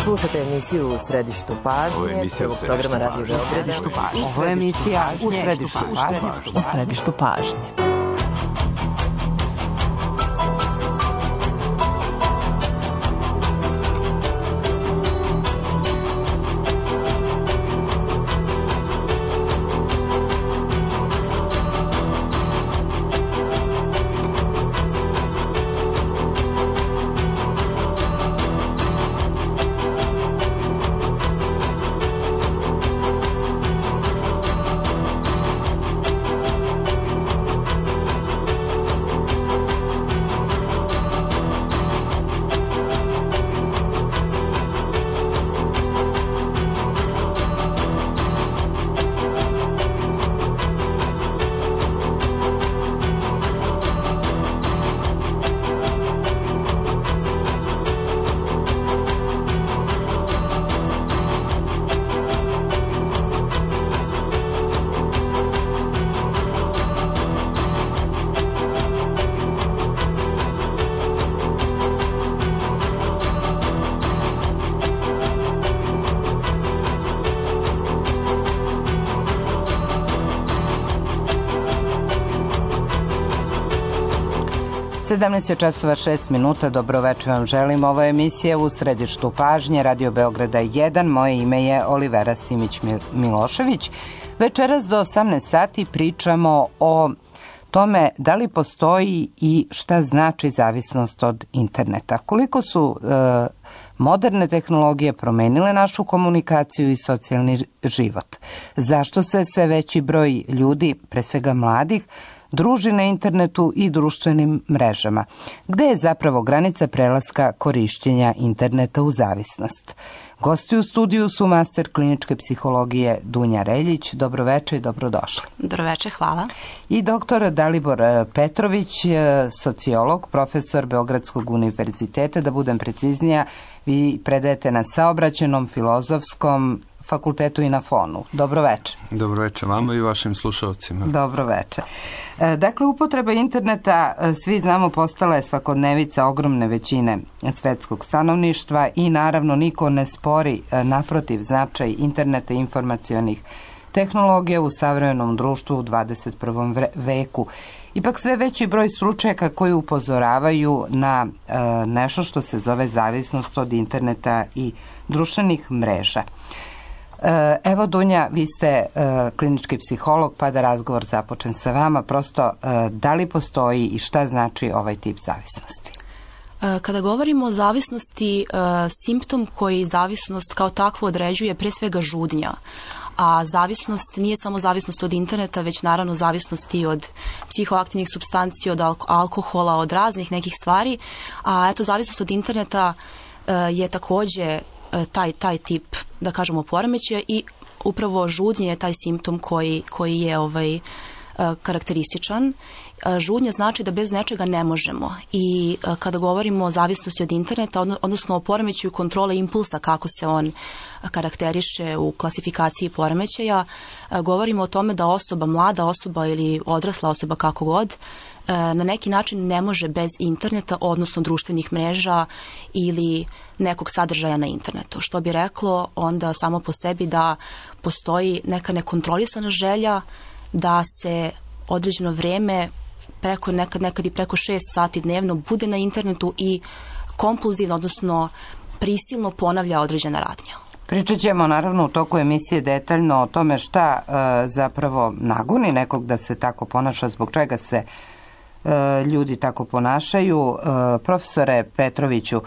Slušate emisiju U središtu pažnje, prvog programa Radio Beograda. Ovo je emisija U središtu pažnje. U središtu pažnje. Časova 6 minuta, dobroveče vam želim. Ovo je emisija U središtu pažnje, Radio Beograda 1. Moje ime je Olivera Simić-Milošević. Večeras do 18 sati pričamo o tome da li postoji i šta znači zavisnost od interneta. Koliko su moderne tehnologije promenile našu komunikaciju i socijalni život. Zašto se sve veći broj ljudi, pre svega mladih, druži na internetu i društvenim mrežama. Gde je zapravo granica prelaska korišćenja interneta u zavisnost? Gosti u studiju su master kliničke psihologije Dunja Reljić. Dobroveče i dobrodošli. Dobroveče, hvala. I doktor Dalibor Petrović, sociolog, profesor Beogradskog univerziteta. Da budem preciznija, vi predajete na Saobraćajnom filozofskom fakultetu i na FON-u. Dobroveče. Dobroveče vama i vašim slušalcima. Dobroveče. Dakle, upotreba interneta, svi znamo, postala je svakodnevica ogromne većine svetskog stanovništva i naravno niko ne spori, naprotiv, značaj interneta i informacionih tehnologija u savremenom društvu u 21. veku. Ipak sve veći broj stručnjaka koji upozoravaju na nešto što se zove zavisnost od interneta i društvenih mreža. Evo, Dunja, vi ste klinički psiholog, pa da razgovor započnem sa vama. Prosto, da li postoji i šta znači ovaj tip zavisnosti? Kada govorimo o zavisnosti, simptom koji zavisnost kao takvo određuje pre svega žudnja. A zavisnost nije samo zavisnost od interneta, već naravno zavisnost i od psihoaktivnih supstanci, od alkohola, od raznih nekih stvari. A eto, zavisnost od interneta je takođe taj tip, da kažemo, poremećaja i upravo žudnje je taj simptom koji je karakterističan. Žudnja znači da bez nečega ne možemo i kada govorimo o zavisnosti od interneta, odnosno o poremećaju kontrole impulsa, kako se on karakteriše u klasifikaciji poremećaja, govorimo o tome da osoba, mlada osoba ili odrasla osoba, kako god, na neki način ne može bez interneta, odnosno društvenih mreža ili nekog sadržaja na internetu. Što bi reklo onda samo po sebi da postoji neka nekontrolisana želja da se određeno vreme, nekad i preko 6 sati dnevno, bude na internetu i kompulzivno, odnosno prisilno ponavlja određena radnja. Pričat ćemo naravno u toku emisije detaljno o tome šta zapravo nagoni nekog da se tako ponaša, zbog čega se ljudi tako ponašaju. Profesore Petroviću,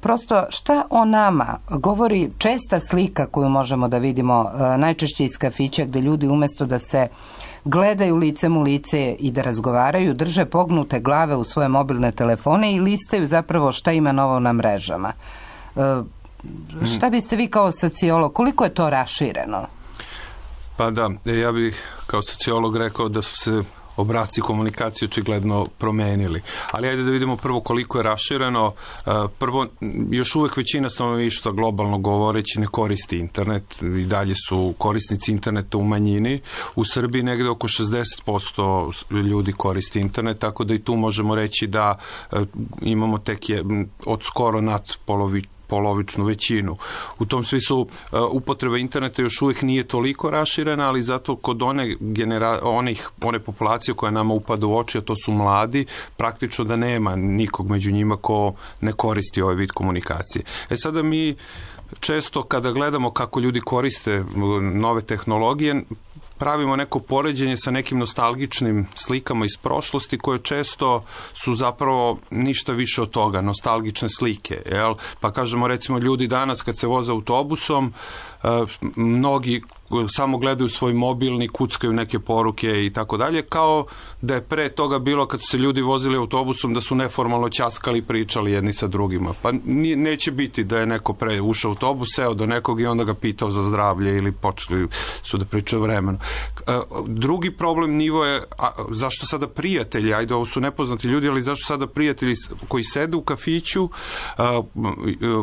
prosto šta o nama govori česta slika koju možemo da vidimo najčešće iz kafića, gde ljudi umesto da se gledaju licem u lice i da razgovaraju, drže pognute glave u svoje mobilne telefone i listaju zapravo šta ima novo na mrežama. Šta biste vi kao sociolog, koliko je to rašireno? Pa da, ja bih kao sociolog rekao da su se obrasci komunikacije očigledno promenili. Ali ajde da vidimo prvo koliko je rašireno. Prvo, još uvek većina stanovništva, globalno govoreći, ne koristi internet. I dalje su korisnici interneta u manjini. U Srbiji negde oko 60% ljudi koristi internet, tako da i tu možemo reći da imamo tek od skoro nad polovičnu većinu. U tom smislu upotreba interneta još uvijek nije toliko raširena, ali zato kod one populacije koja nama upada u oči, a to su mladi, praktično da nema nikog među njima ko ne koristi ovaj vid komunikacije. Sada mi često kada gledamo kako ljudi koriste nove tehnologije, pravimo neko poređenje sa nekim nostalgičnim slikama iz prošlosti koje često su zapravo ništa više od toga, nostalgične slike. Jel? Pa kažemo recimo ljudi danas kad se voze autobusom, mnogi samo gledaju svoj mobilni, kuckaju neke poruke i tako dalje, kao da je pre toga bilo kad su se ljudi vozili autobusom da su neformalno ćaskali i pričali jedni sa drugima. Pa neće biti da je neko pre ušao u autobus, seo do nekog i onda ga pitao za zdravlje ili počeli su da pričaju vremenu. Drugi problem nivo je zašto sada prijatelji, ajde ovo su nepoznati ljudi, ali zašto sada prijatelji koji sede u kafiću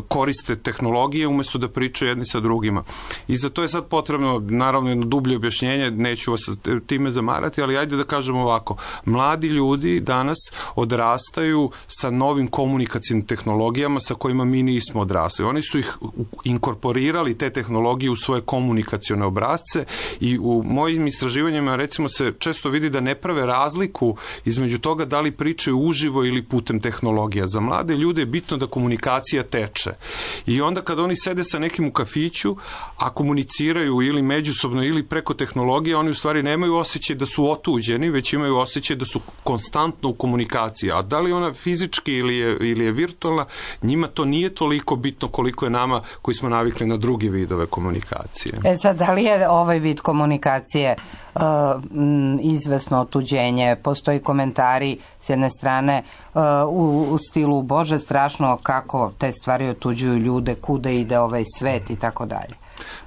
koriste tehnologije umjesto da pričaju jedni sa drugima. I za to je sad potrebno naravno jedno dublje objašnjenje, neću vas time zamarati, ali ajde da kažemo ovako. Mladi ljudi danas odrastaju sa novim komunikacijnim tehnologijama sa kojima mi nismo odrasli. Oni su ih inkorporirali, te tehnologije, u svoje komunikacione obrasce i u mojim istraživanjima recimo se često vidi da ne prave razliku između toga da li pričaju uživo ili putem tehnologija. Za mlade ljude je bitno da komunikacija teče. I onda kad oni sede sa nekim u kafiću, a komuniciraju ili međusobno ili preko tehnologije, oni u stvari nemaju osjećaj da su otuđeni, već imaju osjećaj da su konstantno u komunikaciji. A da li ona fizički ili je virtualna, njima to nije toliko bitno koliko je nama koji smo navikli na druge vidove komunikacije. Sad, da li je ovaj vid komunikacije izvesno otuđenje? Postoji komentari s jedne strane u stilu Bože, strašno kako te stvari otuđuju ljude, kuda ide ovaj svet i tako dalje.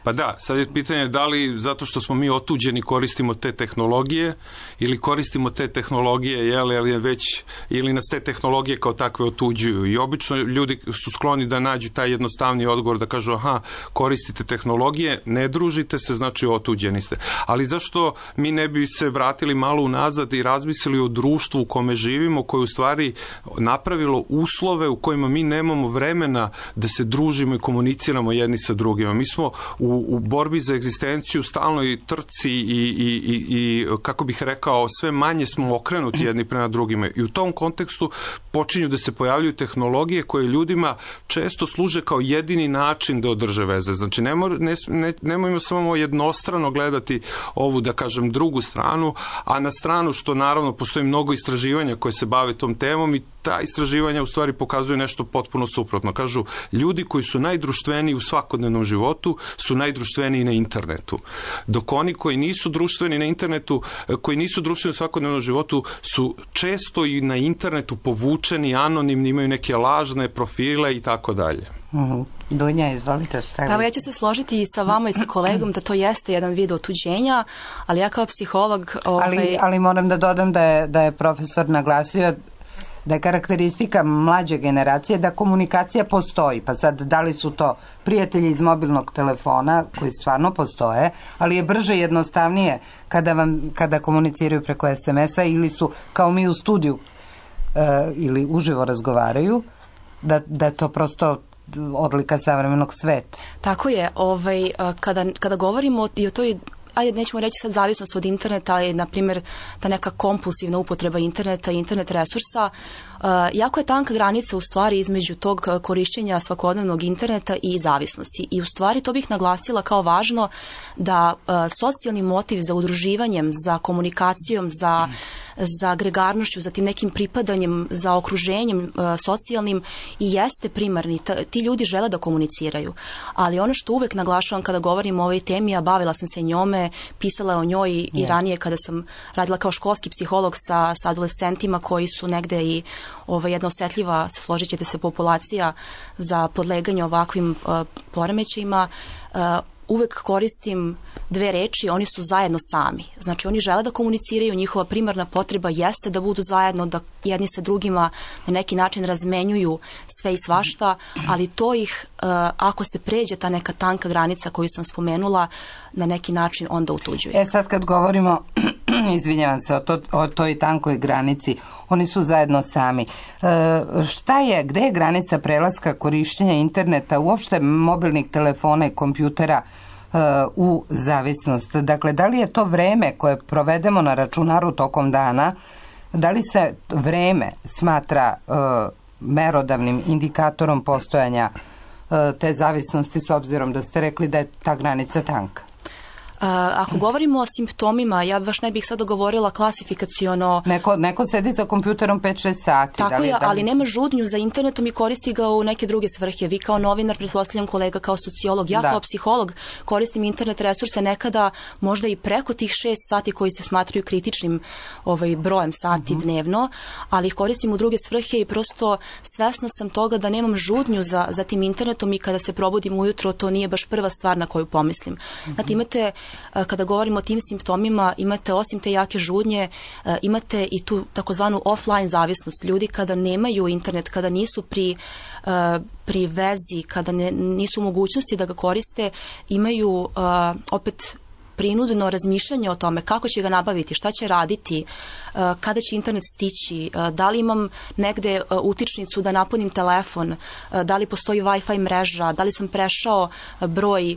Pa da, sad je pitanje da li zato što smo mi otuđeni koristimo te tehnologije ili koristimo te tehnologije ili nas te tehnologije kao takve otuđuju. I obično ljudi su skloni da nađu taj jednostavni odgovor, da kažu koristite tehnologije, ne družite se, znači otuđeni ste. Ali zašto mi ne bi se vratili malo unazad i razmislili o društvu u kome živimo, koje u stvari napravilo uslove u kojima mi nemamo vremena da se družimo i komuniciramo jedni sa drugima. Mi smo u borbi za egzistenciju stalno i trci i kako bih rekao, sve manje smo okrenuti jedni prema drugima. I u tom kontekstu počinju da se pojavljuju tehnologije koje ljudima često služe kao jedini način da održe veze. Znači, nemojmo samo jednostrano gledati ovu, da kažem, drugu stranu, a na stranu što naravno postoji mnogo istraživanja koje se bave tom temom i ta istraživanja u stvari pokazuju nešto potpuno suprotno. Kažu, ljudi koji su najdruštveniji u svakodnevnom životu su najdruštveniji na internetu. Dok oni koji nisu društveni na internetu, koji nisu društveni u svakodnevnom životu, su često i na internetu povučeni, anonimni, imaju neke lažne profile i tako dalje. Dunja, izvolite. Pa ja ću se složiti i sa vama i sa kolegom da to jeste jedan vid otuđenja, ali ja kao psiholog... Ali moram da dodam da je profesor naglasio da je karakteristika mlađe generacije da komunikacija postoji. Pa sad, da li su to prijatelji iz mobilnog telefona, koji stvarno postoje, ali je brže i jednostavnije kada komuniciraju preko SMS-a ili su kao mi u studiju ili uživo razgovaraju, da je to prosto odlika savremenog sveta. Tako je. Kada govorimo i o toj, ajde, nećemo reći sad zavisnost od interneta, ali na primjer ta neka kompulsivna upotreba interneta i internet resursa, jako je tanka granica u stvari između tog korišćenja svakodnevnog interneta i zavisnosti. I u stvari to bih naglasila kao važno da socijalni motiv za udruživanjem, za komunikacijom, za agregarnošću, za tim nekim pripadanjem, za okruženjem socijalnim i jeste primarni. Ti ljudi žele da komuniciraju. Ali ono što uvek naglašavam kada govorim o ovoj temi, a bavila sam se njome, pisala o njoj i ranije kada sam radila kao školski psiholog sa adolescentima koji su negde i jedna osetljiva, složit ćete se, populacija za podleganje ovakvim poremećajima, uvek koristim dve reči, oni su zajedno sami. Znači, oni žele da komuniciraju, njihova primarna potreba jeste da budu zajedno, da jedni sa drugima na neki način razmenjuju sve i svašta, ali to ih, ako se pređe ta neka tanka granica koju sam spomenula, na neki način onda utuđuje. Sad kad govorimo izvinjavam se, o toj tankoj granici. Oni su zajedno sami. Gde je granica prelaska korišćenja interneta, uopšte mobilnih telefona i kompjutera u zavisnost? Dakle, da li je to vreme koje provedemo na računaru tokom dana, da li se vreme smatra merodavnim indikatorom postojanja te zavisnosti, s obzirom da ste rekli da je ta granica tanka? Ako govorimo o simptomima, ja baš ne bih sada govorila klasifikaciono. Neko sedi za kompjuterom 5-6 sati. Tako je, ali nema žudnju za internetom i koristi ga u neke druge svrhe. Vi kao novinar, pretpostavljam kolega kao sociolog, ja kao psiholog koristim internet resurse nekada možda i preko tih 6 sati koji se smatraju kritičnim brojem sati dnevno, ali ih koristim u druge svrhe i prosto svesna sam toga da nemam žudnju za tim internetom i kada se probudim ujutro, to nije baš prva stvar na koju pomislim. Znate, imate, kada govorimo o tim simptomima, imate osim te jake žudnje, imate i tu takozvanu offline zavisnost. Ljudi kada nemaju internet, kada nisu pri vezi, kada nisu u mogućnosti da ga koriste, imaju opet prinudno razmišljanje o tome kako će ga nabaviti, šta će raditi, kada će internet stići, da li imam negde utičnicu da napunim telefon, da li postoji Wi-Fi mreža, da li sam prešao broj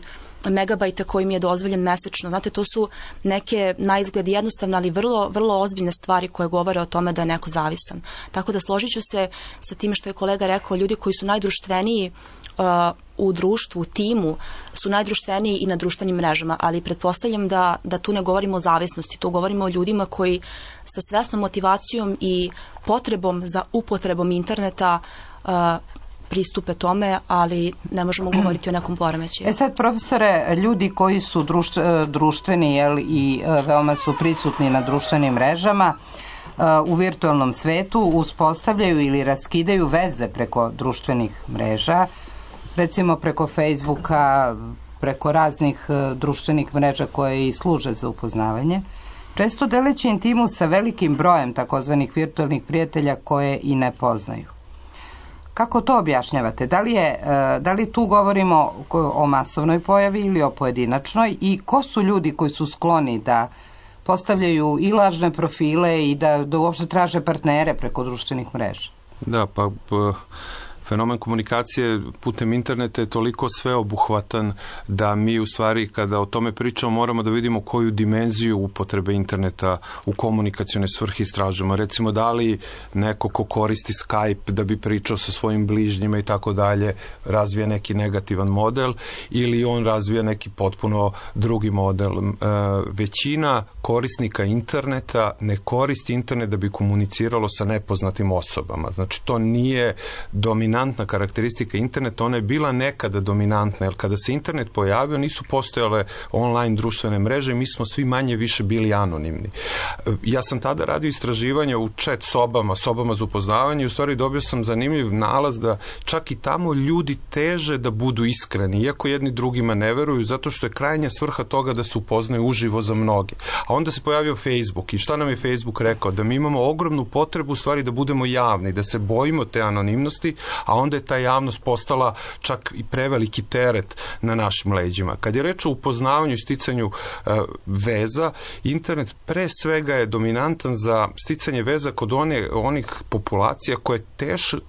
megabajta koji mi je dozvoljen mesečno. Znate, to su neke na izgled jednostavne, ali vrlo, vrlo ozbiljne stvari koje govore o tome da je neko zavisan. Tako da složit ću se sa time što je kolega rekao, ljudi koji su najdruštveniji u društvu, u timu, su najdruštveniji i na društvenim mrežama, ali pretpostavljam da tu ne govorimo o zavisnosti, tu govorimo o ljudima koji sa svesnom motivacijom i potrebom za upotrebom interneta pristupe tome, ali ne možemo govoriti o nekom poremećaju. Sad, profesore, ljudi koji su društveni i veoma su prisutni na društvenim mrežama, u virtualnom svetu uspostavljaju ili raskidaju veze preko društvenih mreža, recimo preko Facebooka, preko raznih društvenih mreža koje i služe za upoznavanje, često deleći intimu sa velikim brojem takozvanih virtualnih prijatelja koje i ne poznaju. Kako to objašnjavate? Da li tu govorimo o masovnoj pojavi ili o pojedinačnoj i ko su ljudi koji su skloni da postavljaju i lažne profile i da uopšte traže partnere preko društvenih mreža? Da, fenomen komunikacije putem interneta je toliko sveobuhvatan da mi u stvari kada o tome pričamo moramo da vidimo koju dimenziju upotrebe interneta u komunikacione svrhe istražujemo. Recimo, da li neko ko koristi Skype da bi pričao sa svojim bližnjima i tako dalje razvija neki negativan model ili on razvija neki potpuno drugi model. Većina korisnika interneta ne koristi internet da bi komuniciralo sa nepoznatim osobama. Znači, to nije dominantna karakteristika interneta, ona je bila nekada dominantna, jer kada se internet pojavio nisu postojale online društvene mreže, mi smo svi manje više bili anonimni. Ja sam tada radio istraživanja u chat sobama za upoznavanje i u stvari dobio sam zanimljiv nalaz da čak i tamo ljudi teže da budu iskreni, iako jedni drugima ne veruju, zato što je krajnja svrha toga da se upoznaju uživo za mnoge. A onda se pojavio Facebook i šta nam je Facebook rekao? Da mi imamo ogromnu potrebu u stvari da budemo javni, da se bojimo te anonimnosti, a onda je ta javnost postala čak i preveliki teret na našim leđima. Kad je reč o upoznavanju i sticanju veza, internet pre svega je dominantan za sticanje veza kod onih populacija koje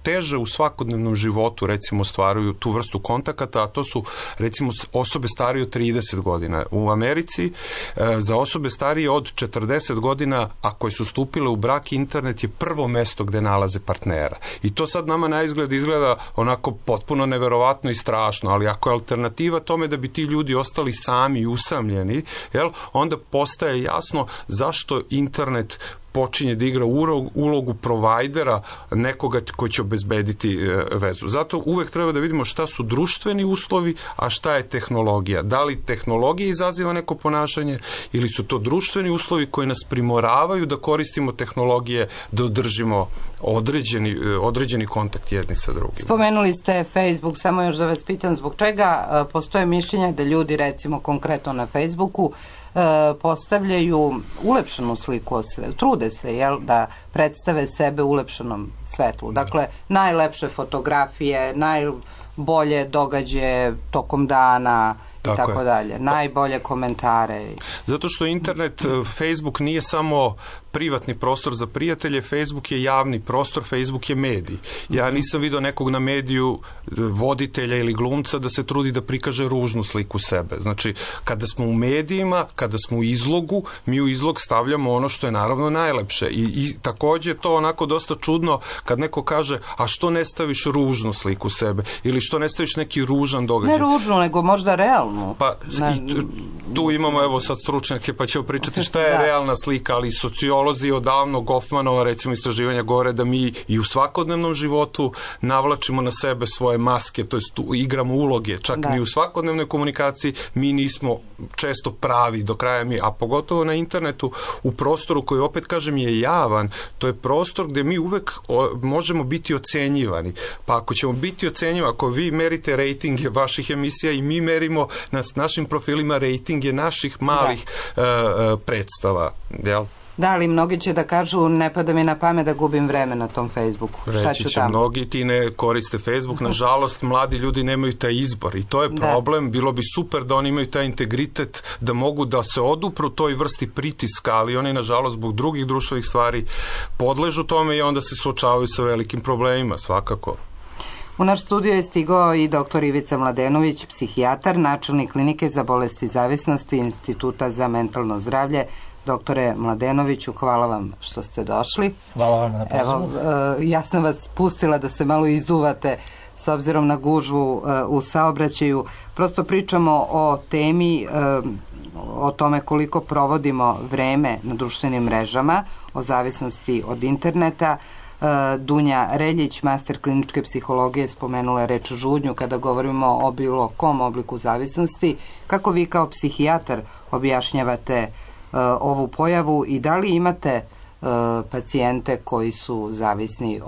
teže u svakodnevnom životu recimo stvaraju tu vrstu kontakata, a to su recimo osobe starije od 30 godina. U Americi za osobe starije od 40 godina, a koje su stupile u brak, internet je prvo mesto gde nalaze partnera. I to sad nama na izgled izgleda onako potpuno neverovatno i strašno, ali ako je alternativa tome da bi ti ljudi ostali sami i usamljeni, onda postaje jasno zašto internet počinje da igra ulogu provajdera nekoga ko će obezbediti vezu. Zato uvek treba da vidimo šta su društveni uslovi, a šta je tehnologija. Da li tehnologija izaziva neko ponašanje ili su to društveni uslovi koji nas primoravaju da koristimo tehnologije, da održimo određeni kontakt jedni sa drugim. Spomenuli ste Facebook, samo još da vas pitam zbog čega postoje mišljenja da ljudi recimo konkretno na Facebooku postavljaju ulepšanu sliku, trude se da predstave sebe u ulepšanom svetlu. Dakle, najlepše fotografije, bolje događaje tokom dana i tako dalje. Najbolje komentare. Zato što internet, Facebook nije samo privatni prostor za prijatelje, Facebook je javni prostor, Facebook je medij. Ja nisam vidio nekog na mediju, voditelja ili glumca, da se trudi da prikaže ružnu sliku sebe. Znači, kada smo u medijima, kada smo u izlogu, mi u izlog stavljamo ono što je naravno najlepše. I takođe to onako dosta čudno kad neko kaže, a što ne staviš ružnu sliku sebe? Ili što ne staviš neki ružan događaj? Ne ružnu, nego možda realnu. Pa i tu imamo evo sad stručnjake pa ćemo pričati šta je realna slika, ali sociolozi odavno Goffmanova recimo istraživanja govore da mi i u svakodnevnom životu navlačimo na sebe svoje maske, to jest igramo uloge, čak mi u svakodnevnoj komunikaciji mi nismo često pravi do kraja a pogotovo na internetu u prostoru koji opet kažem je javan, to je prostor gde mi uvek možemo biti ocenjivani, pa ako ćemo biti ocenjivani, ako vi merite rejtinge vaših emisija i mi merimo na našim profilima rejtinge naših malih predstava, jel? Da, ali mnogi će da kažu, ne pada mi na pamet da gubim vreme na tom Facebooku. Reći će mnogi, ti ne koriste Facebook, nažalost, mladi ljudi nemaju taj izbor i to je problem, bilo bi super da oni imaju taj integritet, da mogu da se odupru toj vrsti pritiska, ali oni, nažalost, zbog drugih društvenih stvari podležu tome i onda se suočavaju sa velikim problemima, svakako. U naš studio je stigao i dr. Ivica Mladenović, psihijatar, načelnik klinike za bolesti zavisnosti Instituta za mentalno zdravlje. Doktore Mladenoviću, hvala vam što ste došli. Hvala vam na pozivu. Evo, ja sam vas pustila da se malo izduvate s obzirom na gužvu u saobraćaju. Prosto pričamo o temi, o tome koliko provodimo vreme na društvenim mrežama, o zavisnosti od interneta. Dunja Reljić, master kliničke psihologije, spomenula je reč žudnju kada govorimo o bilo kom obliku zavisnosti. Kako vi kao psihijatar objašnjavate ovu pojavu i da li imate pacijente koji su zavisni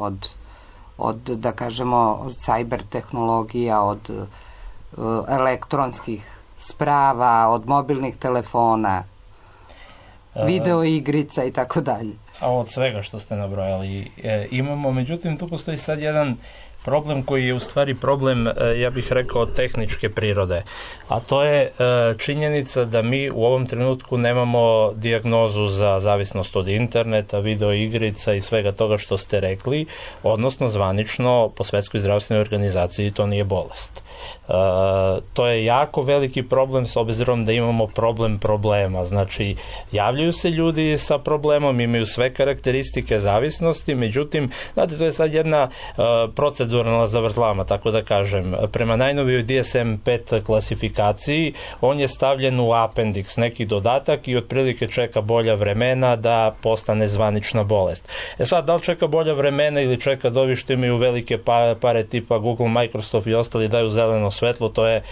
od da kažemo, od cyber tehnologija, od elektronskih sprava, od mobilnih telefona, video igrica i tako dalje? A od svega što ste nabrojali imamo, međutim tu postoji sad jedan problem koji je u stvari problem, ja bih rekao, tehničke prirode. A to je činjenica da mi u ovom trenutku nemamo dijagnozu za zavisnost od interneta, video igrica i svega toga što ste rekli, odnosno zvanično po Svetskoj zdravstvenoj organizaciji to nije bolest. To je jako veliki problem s obzirom da imamo problem problema. Znači, javljaju se ljudi sa problemom, imaju sve karakteristike zavisnosti, međutim, znate, to je sad jedna proceduralna zavrzlama, tako da kažem. Prema najnovijoj DSM-5 klasifikaciji, on je stavljen u appendix, neki dodatak i otprilike čeka bolja vremena da postane zvanična bolest. Sad, da li čeka bolja vremena ili čeka da ovi što imaju velike pare tipa Google, Microsoft i ostali daju zeleno svetlo, to je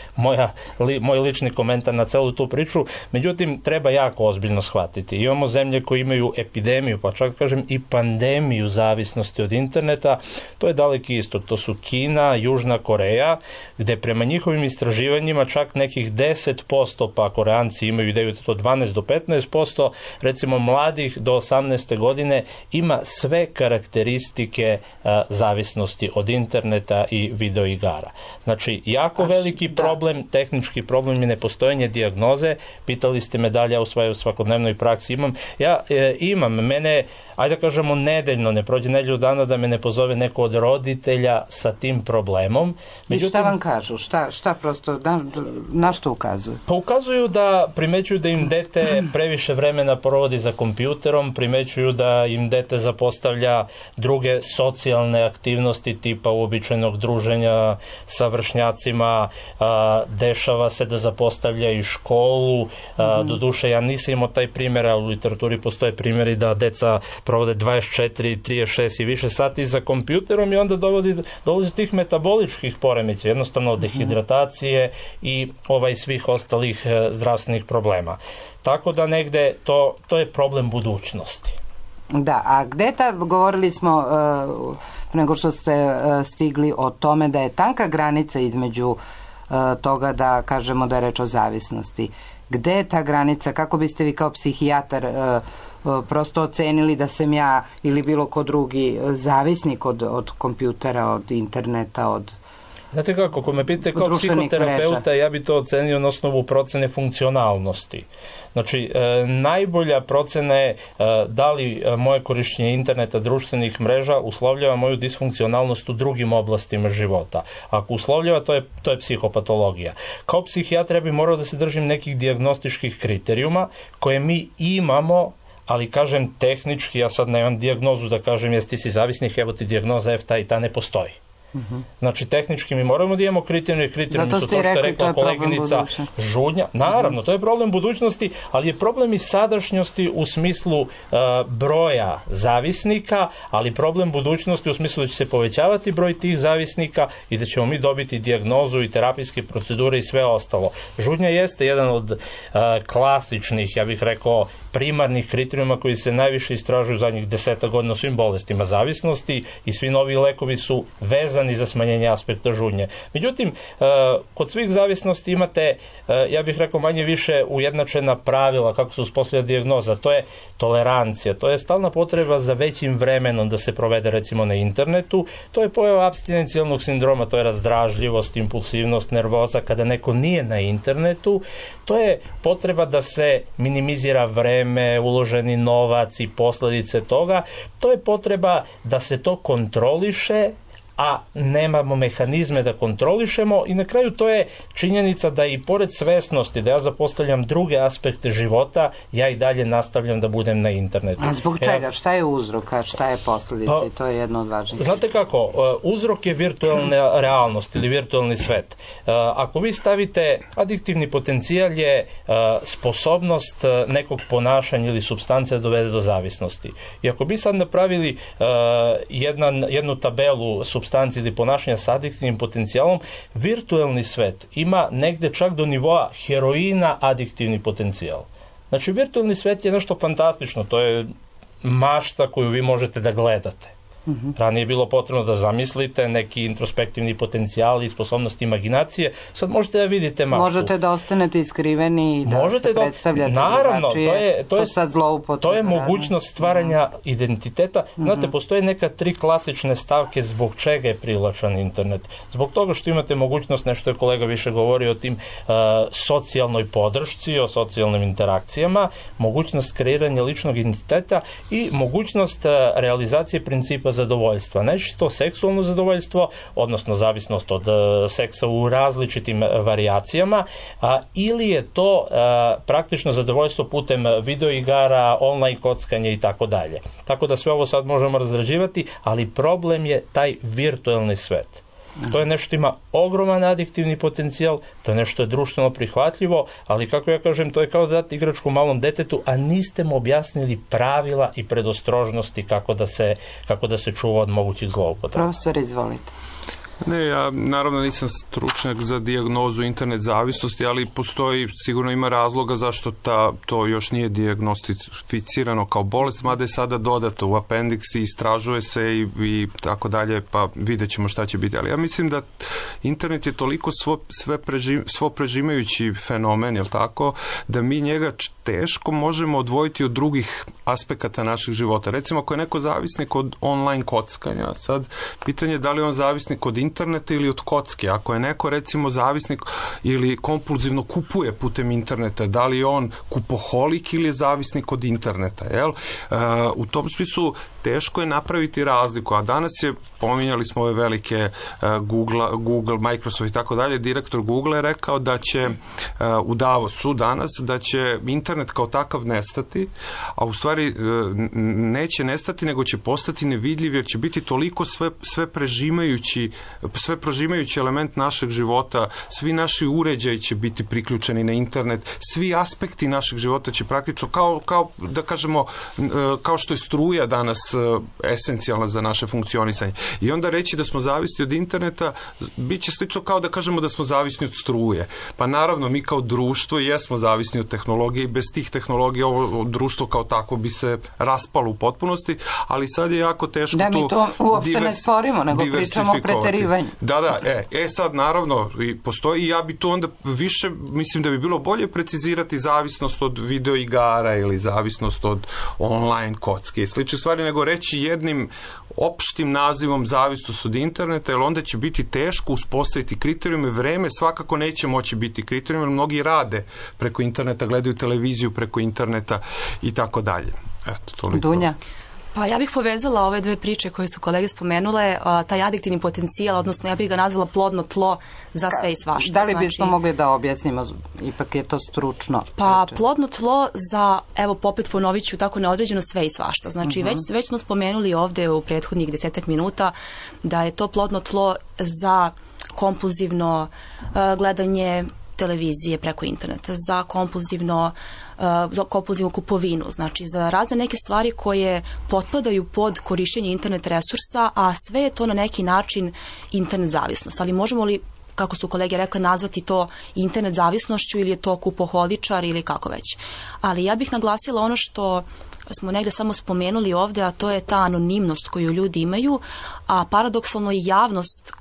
moj lični komentar na celu tu priču. Međutim, treba jako ozbiljno shvatiti. Imamo zemlje koje imaju epidemiju, pa čak kažem i pandemiju zavisnosti od interneta. To je Daleki istok, to su Kina, Južna Koreja, gde prema njihovim istraživanjima čak nekih 10%, pa Koreanci imaju ideju da to 12 do 15%, recimo mladih do 18. godine ima sve karakteristike zavisnosti od interneta i videoigara. Znači, jako veliki problem, tehnički problem je nepostojanje dijagnoze. Pitali ste me da li ja u svojoj svakodnevnoj praksi imam. Ja imam, mene, ajde da kažemo nedeljno, ne prođe nedelju dana da me ne pozove neko od roditelja sa tim problemom. Međutim, i šta vam kažu? Šta prosto, na što ukazuju? Pa ukazuju da primećuju da im dete previše vremena provodi za kompjuterom, primećuju da im dete zapostavlja druge socijalne aktivnosti tipa uobičajenog druženja sa vršnjacima, dešava se da zapostavlja i školu. Doduše, ja nisam imao taj primjer, ali u literaturi postoje primjeri da deca provode 24, 36 i više sati za kompjuterom i onda dolazi tih metaboličkih poremeća, jednostavno dehidratacije i svih ostalih zdravstvenih problema. Tako da negde to je problem budućnosti. Da, a gde govorili smo nego što ste stigli o tome da je tanka granica između toga da kažemo da je reč o zavisnosti. Gde je ta granica? Kako biste vi kao psihijatar prosto ocenili da sam ja ili bilo ko drugi zavisnik od kompjutera, od interneta, od Znate kako, ako me pitate kao psihoterapeuta, ja bi to ocenio na osnovu procene funkcionalnosti. Znači, najbolja procena je da li moje korišćenje interneta, društvenih mreža uslovljava moju disfunkcionalnost u drugim oblastima života. Ako uslovljava, to je psihopatologija. Kao psihijatra bi morao da se držim nekih dijagnostičkih kriterijuma koje mi imamo, ali kažem tehnički, ja sad nemam dijagnozu da kažem jesi ti si zavisnik, evo ti dijagnoza ta i ta ne postoji. Znači, tehnički mi moramo da imamo kriterijumi su to što je rekla koleginica Žudnja. Naravno, to je problem budućnosti, ali je problem i sadašnjosti u smislu broja zavisnika, ali problem budućnosti u smislu da će se povećavati broj tih zavisnika i da ćemo mi dobiti dijagnozu i terapijske procedure i sve ostalo. Žudnja jeste jedan od klasičnih, ja bih rekao, primarnih kriterijuma koji se najviše istražuju zadnjih 10 godina u svim bolestima zavisnosti i svi novi lekovi su vezani za smanjenje aspekta žudnje. Međutim, kod svih zavisnosti imate, ja bih rekao, manje više ujednačena pravila kako se uspostavlja dijagnoza. To je tolerancija, to je stalna potreba za većim vremenom da se provede recimo na internetu, to je pojava apstinencijalnog sindroma, to je razdražljivost, impulsivnost, nervoza kada neko nije na internetu, to je potreba da se minimizira vreme, uloženi novac i posljedice toga, to je potreba da se to kontroliše, a nemamo mehanizme da kontrolišemo i na kraju to je činjenica da i pored svesnosti da ja zapostavljam druge aspekte života, ja i dalje nastavljam da budem na internetu. A zbog čega? Šta je uzrok, a šta je posljedica? I to je jedno od važnijih. Znate kako, uzrok je virtualna realnost ili virtualni svet. Ako vi stavite adiktivni potencijal je sposobnost nekog ponašanja ili supstance da dovede do zavisnosti. I ako bi sad napravili jednu tabelu supstanci ili ponašanja s adiktivnim potencijalom, virtualni svet ima negde čak do nivoa heroina adiktivni potencijal. Znači, virtualni svet je nešto fantastično, to je mašta koju vi možete da gledate. Ranije je bilo potrebno da zamislite neki introspektivni potencijal i sposobnost imaginacije. Sad možete da vidite maštu. Možete da ostanete iskriveni i da se predstavljate drugačije. To sad zloupotreba. To je mogućnost stvaranja identiteta. Znate, postoje neka 3 klasične stavke zbog čega je privlačan internet. Zbog toga što imate mogućnost, nešto je kolega više govorio o tim socijalnoj podršci, o socijalnim interakcijama, mogućnost kreiranja ličnog identiteta i mogućnost realizacije principa zadovoljstva. Najčešće to seksualno zadovoljstvo, odnosno zavisnost od seksa u različitim varijacijama, ili je to praktično zadovoljstvo putem videoigara, online kockanja i tako dalje. Tako da sve ovo sad možemo razrađivati, ali problem je taj virtualni svet. To je nešto ima ogroman adiktivni potencijal, to je nešto je društveno prihvatljivo, ali kako ja kažem, to je kao da dati igračku malom detetu, a niste mu objasnili pravila i predostrožnosti kako da se čuva od mogućih zloupotreba. Profesor, izvolite. Ne, ja naravno nisam stručnjak za dijagnozu internet zavisnosti, ali postoji, sigurno ima razloga zašto to još nije dijagnostificirano kao bolest, mada je sada dodato u apendiksi, istražuje se i tako dalje, pa vidjet ćemo šta će biti. Ali ja mislim da internet je toliko svo prežimajući fenomen, jel tako, da mi njega teško možemo odvojiti od drugih aspekata naših života. Recimo, ako je neko zavisnik od online kockanja, sad pitanje je da li on zavisnik od interneta ili od kocke. Ako je neko, recimo, zavisnik ili kompulzivno kupuje putem interneta, da li je on kupoholik ili je zavisnik od interneta, jel? U tom smislu teško je napraviti razliku, a danas je, pominjali smo ove velike Google, Microsoft i tako dalje, direktor Google je rekao da će u Davosu danas, da će internet kao takav nestati, a u stvari neće nestati, nego će postati nevidljiv, jer će biti toliko sve prožimajući element našeg života, svi naši uređaji će biti priključeni na internet, svi aspekti našeg života će praktično, kao da kažemo, kao što je struja danas esencijalna za naše funkcionisanje. I onda reći da smo zavisni od interneta, bit će slično kao da kažemo da smo zavisni od struje. Pa naravno, mi kao društvo jesmo zavisni od tehnologije i bez tih tehnologija ovo društvo kao takvo bi se raspalo u potpunosti, ali sad je jako teško da mi to uopšte ne sporimo, nego pričamo o preterivanju istraživanje. Da, sad naravno postoji i ja bi tu onda više, mislim da bi bilo bolje precizirati zavisnost od videoigara ili zavisnost od online kocke i slične stvari, nego reći jednim opštim nazivom zavisnost od interneta, jer onda će biti teško uspostaviti kriterijume. Vreme svakako neće moći biti kriterijum, jer mnogi rade preko interneta, gledaju televiziju preko interneta i tako dalje. Eto, toliko. Dunja? Pa ja bih povezala ove dve priče koje su kolege spomenule, taj adiktivni potencijal, odnosno ja bih ga nazvala plodno tlo za sve i svašta. Da li bismo mogli da objasnimo, ipak je to stručno? Pa plodno tlo za, evo popet ponovit ću tako neodređeno sve i svašta. Znači već smo spomenuli ovde u prethodnih 10 minuta da je to plodno tlo za kompulzivno gledanje televizije preko interneta, za kompulzivnu kupovinu, znači za razne neke stvari koje potpadaju pod korišćenje internet resursa, a sve je to na neki način internet zavisnost. Ali možemo li, kako su kolege rekle, nazvati to internet zavisnošću ili je to kupoholičar ili kako već. Ali ja bih naglasila ono što smo negde samo spomenuli ovde, a to je ta anonimnost koju ljudi imaju, a paradoksalno i javnost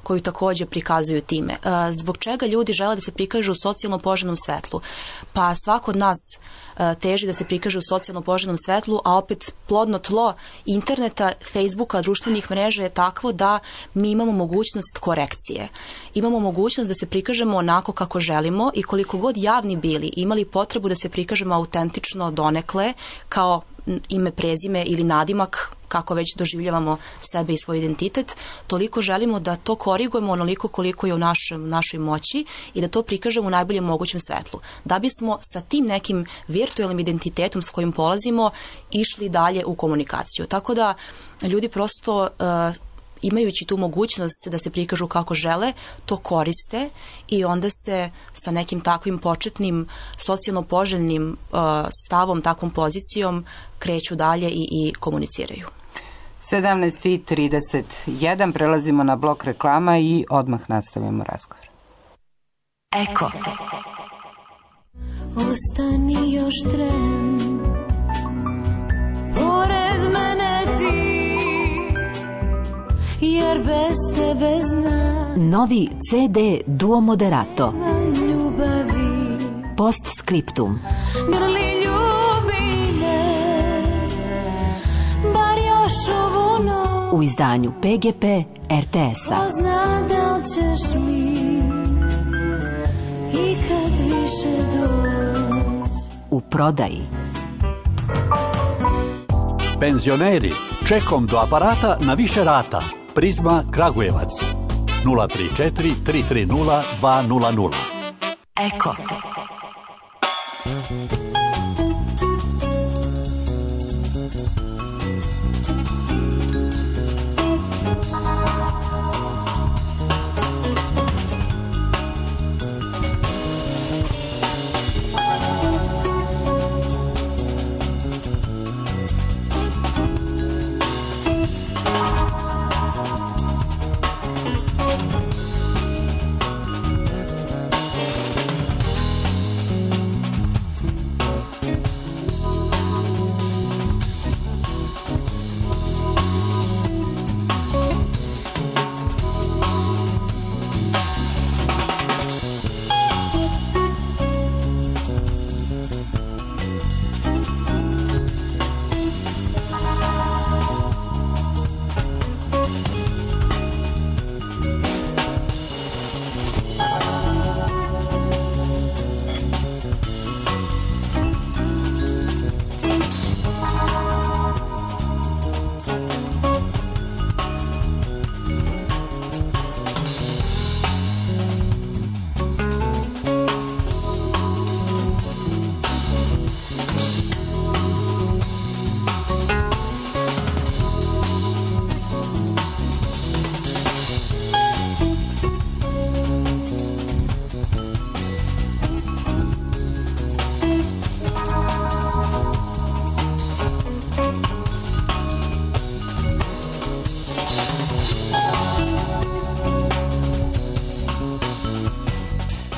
koju takođe prikazuju time. Zbog čega ljudi žele da se prikažu u socijalno poželjnom svetlu? Pa svako od nas teži da se prikaže u socijalno poželjnom svetlu, a opet plodno tlo interneta, Facebooka, društvenih mreža je takvo da mi imamo mogućnost korekcije. Imamo mogućnost da se prikažemo onako kako želimo i koliko god javni bili, imali potrebu da se prikažemo autentično donekle, kao ime, prezime ili nadimak, kako već doživljavamo sebe i svoj identitet, toliko želimo da to korigujemo onoliko koliko je u našoj moći i da to prikažemo u najboljem mogućem svetlu. Da bismo sa tim nekim virtualnim identitetom s kojim polazimo išli dalje u komunikaciju. Tako da ljudi prosto imajući tu mogućnost da se prikažu kako žele, to koriste i onda se sa nekim takvim početnim socijalno poželjnim stavom, takvom pozicijom kreću dalje i komuniciraju. 17:31, prelazimo na blok reklama i odmah nastavimo razgovor. Eko. Ostani još tren, pored mene ti, jer bez tebe znam. Novi CD Duo Moderato. Postscriptum. Grli ljubi me, bar još ovu noć. U izdanju PGP RTS-a. Zna da ćeš mi i kad više doći. U prodaji. Penzioneri, čekom do aparata na više rata. Prizma Kragujevac 034 330 200. Eko.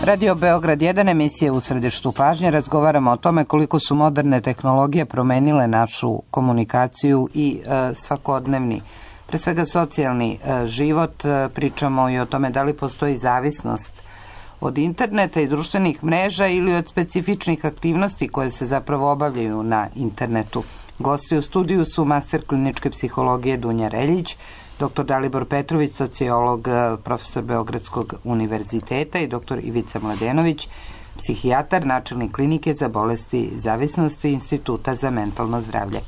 Radio Beograd 1, emisija U središtu pažnje. Razgovaramo o tome koliko su moderne tehnologije promenile našu komunikaciju i svakodnevni pre svega socijalni život. Pričamo i o tome da li postoji zavisnost od interneta i društvenih mreža ili od specifičnih aktivnosti koje se zapravo obavljaju na internetu. Gosti u studiju su master kliničke psihologije Dunja Reljić, dr. Dalibor Petrović, sociolog, profesor Beogradskog univerziteta i dr. Ivica Mladenović, psihijatar, načelnik klinike za bolesti zavisnosti Instituta za mentalno zdravlje.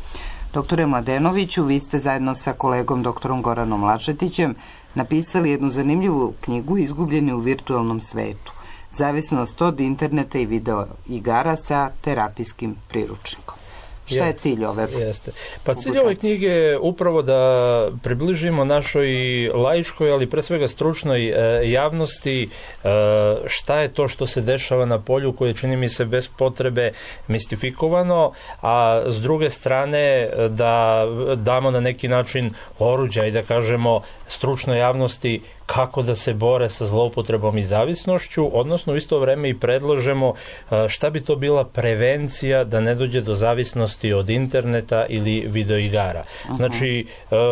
Doktore Mladenoviću, vi ste zajedno sa kolegom doktorom Goranom Lašetićem napisali jednu zanimljivu knjigu Izgubljeni u virtualnom svetu. Zavisnost od interneta i video igara sa terapijskim priručnikom. Šta je cilj ove publikacije? Pa cilj ove knjige je upravo da približimo našoj laičkoj, ali pre svega stručnoj javnosti šta je to što se dešava na polju koje čini mi se bez potrebe mistifikovano, a s druge strane da damo na neki način oruđa i da kažemo stručnoj javnosti kako da se bore sa zloupotrebom i zavisnošću, odnosno u isto vreme i predlažemo šta bi to bila prevencija da ne dođe do zavisnosti od interneta ili videoigara. Znači,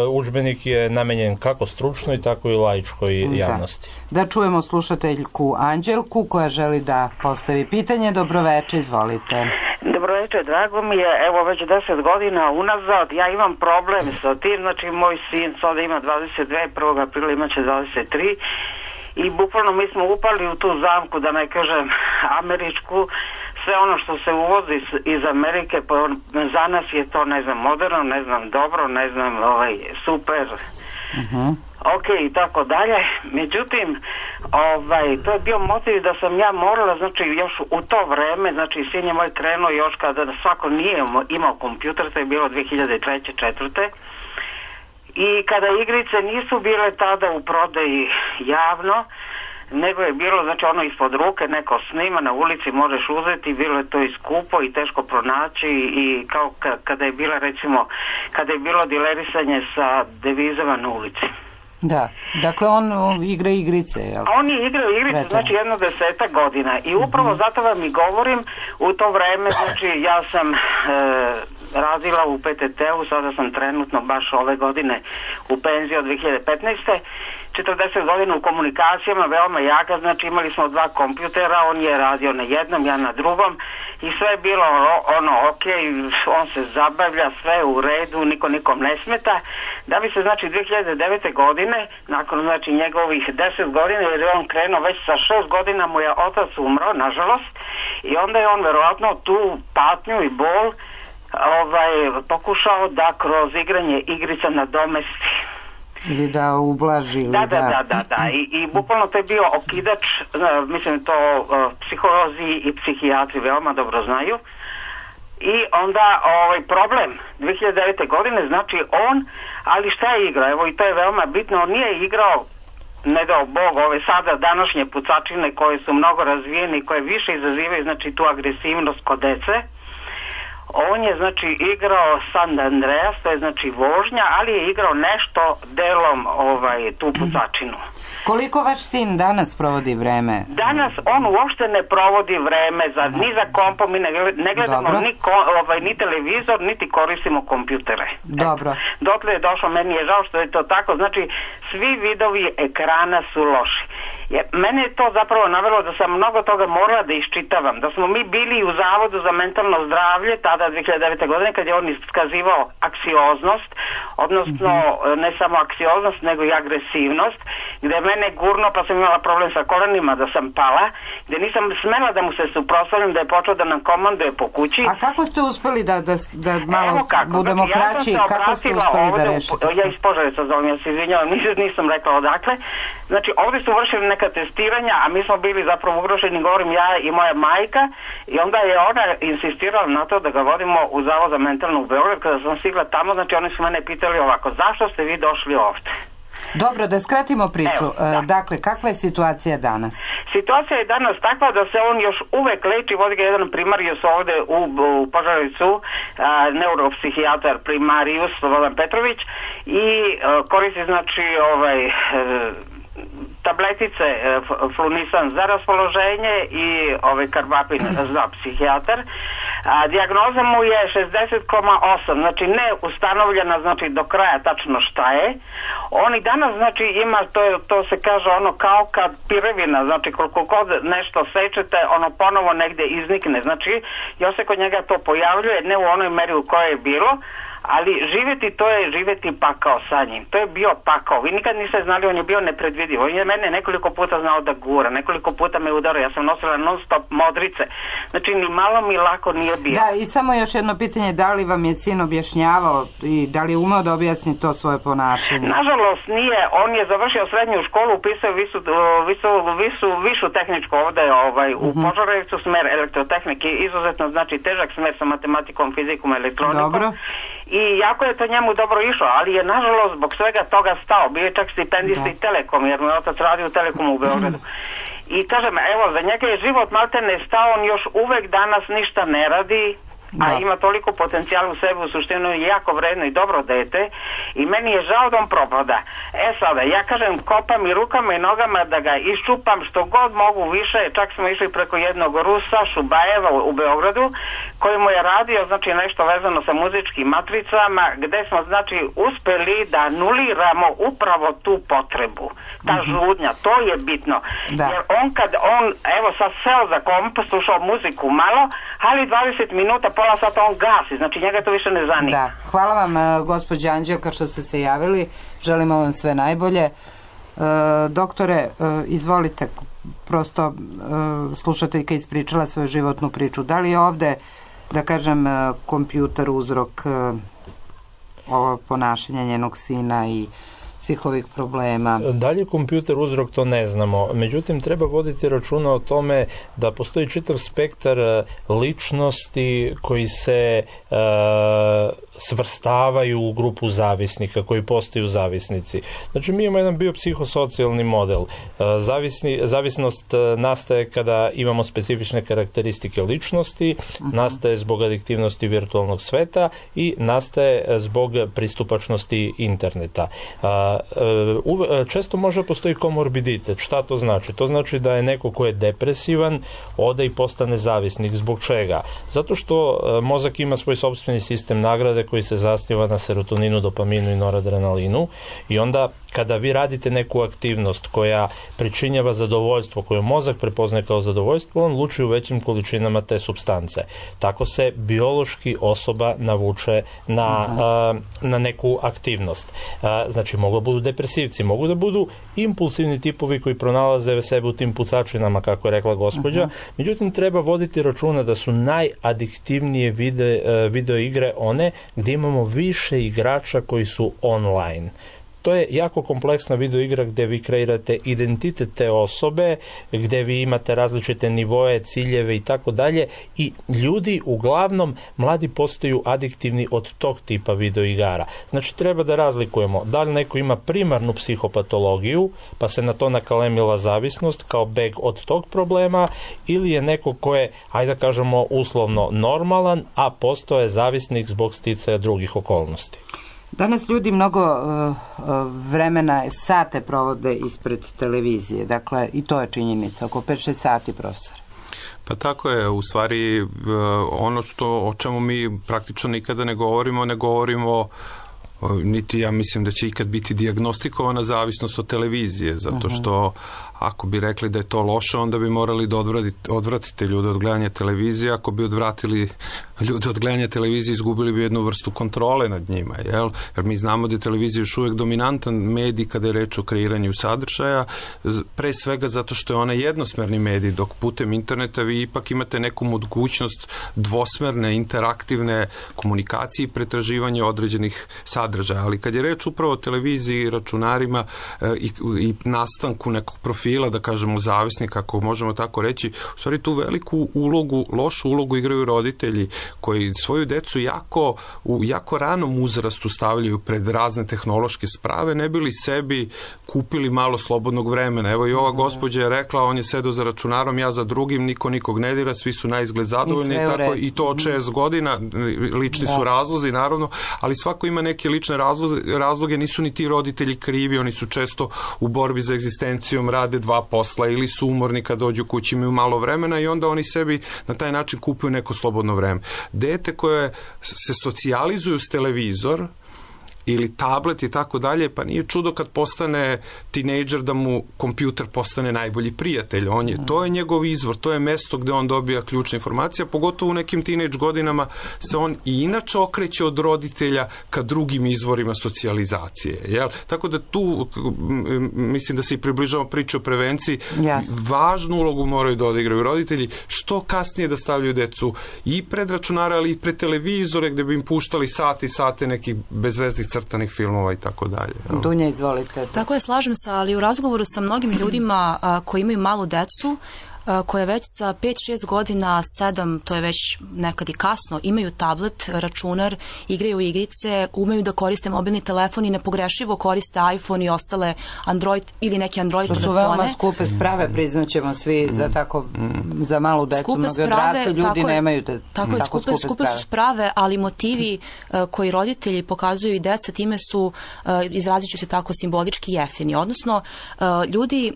udžbenik je namenjen kako stručnoj, tako i laičkoj javnosti. Da čujemo slušateljku Anđelku koja želi da postavi pitanje. Dobroveče, izvolite. Dobroveče, drago mi je, evo već 10 godina unazad ja imam problem sa tim, znači moj sin sada ima 22, 1. aprila imaće 23 i bukvalno mi smo upali u tu zamku, da ne kažem američku, sve ono što se uvozi iz Amerike, za nas je to, ne znam, moderno, ne znam, dobro, ne znam, super, ok i tako dalje. Međutim, to je bio motiv da sam ja morala, znači još u to vreme, znači sin je moj krenuo još kada svako nije imao kompjuter, to je bilo 2003. 2004. I kada igrice nisu bile tada u prodaji javno, nego je bilo, znači ono ispod ruke, neko snima, na ulici možeš uzeti, bilo je to i skupo i teško pronaći i kao kada je bila, recimo, kada je bilo dilerisanje sa devizama na ulici. Da, dakle on igra igrice, jel? On je igrao igrice, znači 10 godina i upravo zato vam i govorim, u to vreme, znači ja sam radila u PTT-u, sada sam trenutno baš ove godine u penziji od 2015. 40 godina u komunikacijama, veoma jaka, znači imali smo 2 kompjutera, on je radio na jednom, ja na drugom i sve je bilo ok, on se zabavlja, sve u redu, niko nikom ne smeta, da bi se znači 2009. godine, nakon znači njegovih 10 godina, jer je on krenuo već sa 6 godina, mu je otac umro, nažalost, i onda je on verovatno tu patnju i bol pokušao da kroz igranje igrica nadomesti. Ili da ublaži. Da. I bukvalno to je bio okidač, mislim to psiholozi i psihijatri veoma dobro znaju. I onda problem 2009. godine, znači on, ali šta je igrao? Evo i to je veoma bitno, on nije igrao, ne dao Bog, ove sada današnje pucačine koje su mnogo razvijene i koje više izazivaju, znači tu agresivnost kod dece. On je znači igrao San Andreas, to je znači vožnja, ali je igrao nešto delom tu pucačinu. Koliko vaš sin danas provodi vreme? Danas on uopšte ne provodi vreme ni za kompom, mi ne gledamo ni televizor, niti koristimo kompjutere. Dobro. Dotle je došlo, meni je žao što je to tako, znači svi vidovi ekrana su loši. Mene je to zapravo navelo da sam mnogo toga morala da iščitavam, da smo mi bili u Zavodu za mentalno zdravlje tada 2009. godine kad je on iskazivao aksioznost, odnosno ne samo aksioznost nego i agresivnost, gde je mene gurno pa sam imala problem sa kolenima da sam pala, gde nisam smela da mu se suprotstavim, da je počeo da nam komanduje po kući. A kako ste uspeli da malo budemo kraći, kako ste uspeli da rešite? Ja iz Požareca zovem, ja se izvinjavam, nisam rekla odakle. Znači ovdje su vršili neka testiranja, a mi smo bili zapravo ugroženi, govorim ja i moja majka, i onda je ona insistirala na to da ga vodimo u Zavod za mentalnu u Beograd. Kada sam stigla tamo, znači oni su mene pitali ovako, zašto ste vi došli ovdje? Dobro, da skratimo priču. Dakle, kakva je situacija danas? Situacija je danas takva da se on još uvek leči, vodi ga jedan primarijus ovde u Požarevcu, neuropsihijatar primarijus Slobodan Petrović, i koristi znači tabletice Flunisan za raspoloženje i karbapin za psihijatar, Dijagnoza mu je 60,8, znači ne ustanovljena, znači do kraja tačno šta je. On i danas, znači ima, to se kaže ono kao kad pirevina, znači koliko god nešto sečete, ono ponovo negde iznikne, znači još se kod njega to pojavljuje, ne u onoj meri u kojoj je bilo, ali živjeti, to je živjeti pakao sa njim. To je bio pakao. Vi nikad niste znali, on je bio nepredvidiv. On je mene nekoliko puta znao da gura, nekoliko puta me udarao. Ja sam nosila non stop modrice. Znači, ni malo mi lako nije bio. Da, i samo još jedno pitanje, da li vam je sin objašnjavao i da li je umeo da objasni to svoje ponašanje? Nažalost nije. On je završio srednju školu, upisao višu tehničku ovde u Požarevcu, smer elektrotehnike, izuzetno znači težak smer sa matematikom, fizikom, elektronikom. Dobro. I jako je to njemu dobro išlo, ali je nažalost zbog svega toga stao. Bio je čak stipendista i Telekom, jer mu je otac radio u Telekomu u Beogradu. I kažem, evo, za njega je život maltene stao, on još uvek danas ništa ne radi, a ima toliko potencijala u sebi, u suštinu je jako vredno i dobro dete i meni je žao da on propada. Sada, ja kažem, kopam i rukama i nogama da ga iščupam što god mogu više, čak smo išli preko jednog Rusa, Šubajeva u Beogradu, koji mu je radio, znači nešto vezano sa muzičkim matricama, gde smo, znači, uspeli da anuliramo upravo tu potrebu. Ta žudnja, to je bitno. Jer evo sad seo za komp, slušao muziku malo, ali 20 minuta, pola sata on gasi, znači njega to više ne zanima. Da, hvala vam gospođa Anđelka što ste se javili, želimo vam sve najbolje. Doktore, izvolite, prosto slušateljka ispričala svoju životnu priču. Da li je ovde, da kažem, kompjuter uzrok ovo ponašanja njenog sina i svih ovih problema? Da li je kompjuter uzrok, to ne znamo. Međutim, treba voditi računa o tome da postoji čitav spektar ličnosti koji se svrstavaju u grupu zavisnika, koji postaju zavisnici. Znači, mi imamo jedan biopsihosocijalni model. Zavisnost nastaje kada imamo specifične karakteristike ličnosti, nastaje zbog adiktivnosti virtualnog sveta i nastaje zbog pristupačnosti interneta. Često može postoji komorbiditet. Šta to znači? To znači da je neko ko je depresivan, ode i postane zavisnik. Zbog čega? Zato što mozak ima svoj sopstveni sistem nagrade koji se zasniva na serotoninu, dopaminu i noradrenalinu i onda kada vi radite neku aktivnost koja pričinjava zadovoljstvo, koju mozak prepoznaje kao zadovoljstvo, on luči u većim količinama te supstance. Tako se biološki osoba navuče na neku aktivnost. Znači, mogu da budu depresivci, mogu da budu impulsivni tipovi koji pronalaze sebe u tim pucačinama, kako je rekla gospođa. Međutim, treba voditi računa da su najadiktivnije video igre one gdje imamo više igrača koji su online. To je jako kompleksna video igra gdje vi kreirate identitet te osobe, gdje vi imate različite nivoe, ciljeve i tako dalje i ljudi, uglavnom, mladi postaju adiktivni od tog tipa video igara. Znači, treba da razlikujemo da li neko ima primarnu psihopatologiju, pa se na to nakalemila zavisnost kao beg od tog problema, ili je neko ko je, ajde da kažemo, uslovno normalan, a postao je zavisnik zbog sticaja drugih okolnosti. Danas ljudi mnogo vremena, sate provode ispred televizije, dakle i to je činjenica, oko 5-6 sati, profesor. Pa tako je, u stvari ono o čemu mi praktično nikada ne govorimo niti ja mislim da će ikad biti dijagnostikovana zavisnost od televizije, zato što ako bi rekli da je to loše, onda bi morali da odvratite ljude od gledanja televizije. Ako bi odvratili ljude od gledanja televizije, izgubili bi jednu vrstu kontrole nad njima, jel? Jer mi znamo da je televizija još uvijek dominantan medij kada je reč o kreiranju sadržaja, pre svega zato što je ona jednosmerni medij, dok putem interneta vi ipak imate neku mogućnost dvosmerne, interaktivne komunikacije i pretraživanja određenih sadržaja. Ali kad je reč upravo o televiziji, računarima i nastanku nekog profila, da kažemo zavisnika, ako možemo tako reći, u stvari tu veliku ulogu, lošu ulogu igraju roditelji koji svoju decu u jako ranom uzrastu stavljaju pred razne tehnološke sprave, ne bili sebi kupili malo slobodnog vremena. Evo i ova gospođa je rekla, on je sedao za računarom, ja za drugim, niko nikog ne dira, svi su naizgled zadovoljni i to od 6 godina, lični su razlozi naravno, ali svako ima neke lične lične razloge, nisu ni ti roditelji krivi, oni su često u borbi za egzistencijom, rade 2 posla ili su umorni kad dođu kući, imaju malo vremena i onda oni sebi na taj način kupuju neko slobodno vreme. Dete koje se socijalizuju s televizor ili tablet i tako dalje, pa nije čudo kad postane tinejdžer da mu kompjuter postane najbolji prijatelj. To je njegov izvor, to je mesto gde on dobija ključne informacije, pogotovo u nekim tinejdž godinama se on i inače okreće od roditelja ka drugim izvorima socijalizacije. Jel? Tako da tu mislim da se i približamo priče o prevenciji. Važnu ulogu moraju da odigraju roditelji, što kasnije da stavljaju decu i pred računare, ali i pred televizore gde bi im puštali sate i sate nekih bezveznih crtanih filmova i tako dalje. Dunja, izvolite. Tako je, slažem se, ali u razgovoru sa mnogim ljudima koji imaju malu decu, koje već sa 5-6 godina, 7, to je već nekad i kasno, imaju tablet, računar, igraju igrice, umeju da koriste mobilni telefon i nepogrešivo koriste iPhone i ostale Android ili neke Android telefone. To su veoma skupe sprave, priznaćemo svi, za malu decu. Mnogi odrasli ljudi nemaju tako skupe su sprave, ali motivi koji roditelji pokazuju i deca time su, izrazit ću se tako, simbolički jeftini. Odnosno, ljudi,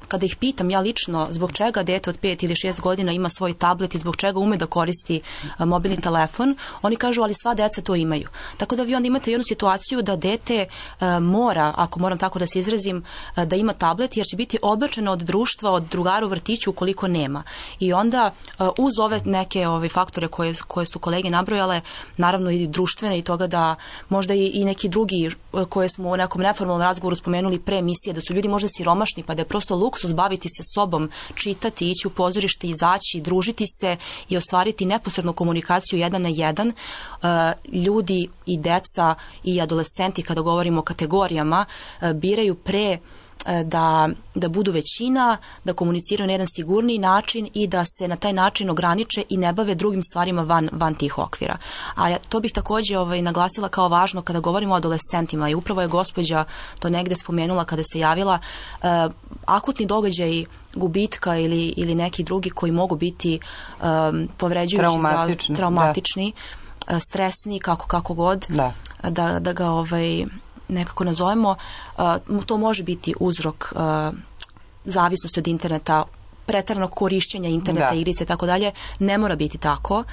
kada ih pitam ja lično zbog čega dete od 5 ili 6 godina ima svoj tablet i zbog čega ume da koristi mobilni telefon, oni kažu ali sva deca to imaju. Tako da vi onda imate jednu situaciju da dete mora, ako moram tako da se izrazim, da ima tablet jer će biti odbačeno od društva, od drugara u vrtiću ukoliko nema. I onda uz ove neke faktore koje su kolege nabrojale, naravno i društvene i toga da možda i neki drugi koje smo u nekom neformalnom razgovoru spomenuli pre emisije, da su ljudi možda siromašni pa da je prosto luksus baviti se sobom, čitati, ići u pozorište, izaći, družiti se i ostvariti neposrednu komunikaciju 1 na 1, ljudi i deca i adolescenti, kada govorimo o kategorijama, biraju pre da budu većina, da komuniciraju na jedan sigurniji način i da se na taj način ograniče i ne bave drugim stvarima van tih okvira. A to bih takođe naglasila kao važno kada govorimo o adolescentima i upravo je gospođa to negde spomenula kada se javila, akutni događaj gubitka ili neki drugi koji mogu biti povređujući, traumatični, stresni, kako god, da ga nekako nazovemo, to može biti uzrok zavisnosti od interneta, preteranog korišćenja interneta, igrice i tako dalje. Ne mora biti tako,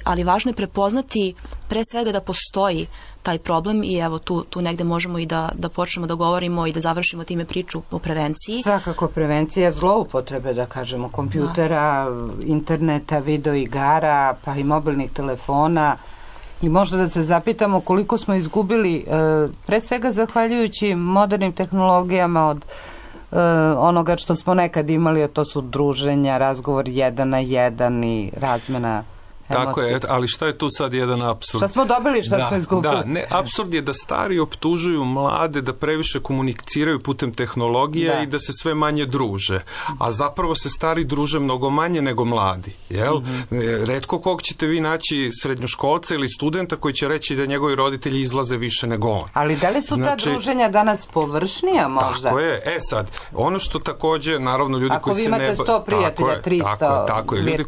ali važno je prepoznati pre svega da postoji taj problem i evo tu negde možemo i da počnemo da govorimo i da završimo time priču o prevenciji. Svakako prevencija zloupotrebe, da kažemo, kompjutera, interneta, video igara, pa i mobilnih telefona. I možda da se zapitamo koliko smo izgubili, pre svega zahvaljujući modernim tehnologijama od onoga što smo nekad imali, a to su druženja, razgovor 1 na 1 i razmena emocija. Tako je, ali šta je tu sad jedan apsurd? Šta smo dobili, šta smo izgubili? Apsurd je da stari optužuju mlade da previše komuniciraju putem tehnologije i da se sve manje druže. A zapravo se stari druže mnogo manje nego mladi. Jel? Retko kog ćete vi naći srednjoškolca ili studenta koji će reći da njegovi roditelji izlaze više nego on. Ali da li su ta druženja danas površnija možda? Tako je. Sad, ono što takođe, naravno, ljudi ako koji se ne... Ako vi imate 100 prijatelja, 300... Tako je. Ljudi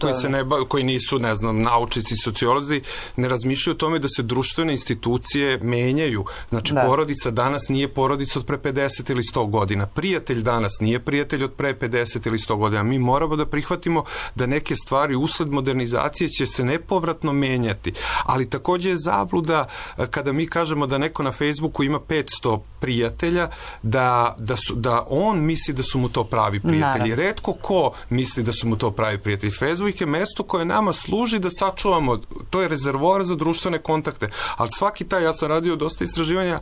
koji nisu, ne znam, naučnici, sociolozi, ne razmišljaju o tome da se društvene institucije menjaju. Znači, porodica danas nije porodica od pre 50 ili 100 godina. Prijatelj danas nije prijatelj od pre 50 ili 100 godina. Mi moramo da prihvatimo da neke stvari usled modernizacije će se nepovratno menjati. Ali takođe je zabluda kada mi kažemo da neko na Facebooku ima 500 prijatelja, da on misli da su mu to pravi prijatelji. Retko ko misli da su mu to pravi prijatelji. Facebook je mesto koje nama služi da sačuvamo, to je rezervoar za društvene kontakte, ali svaki taj, ja sam radio dosta istraživanja,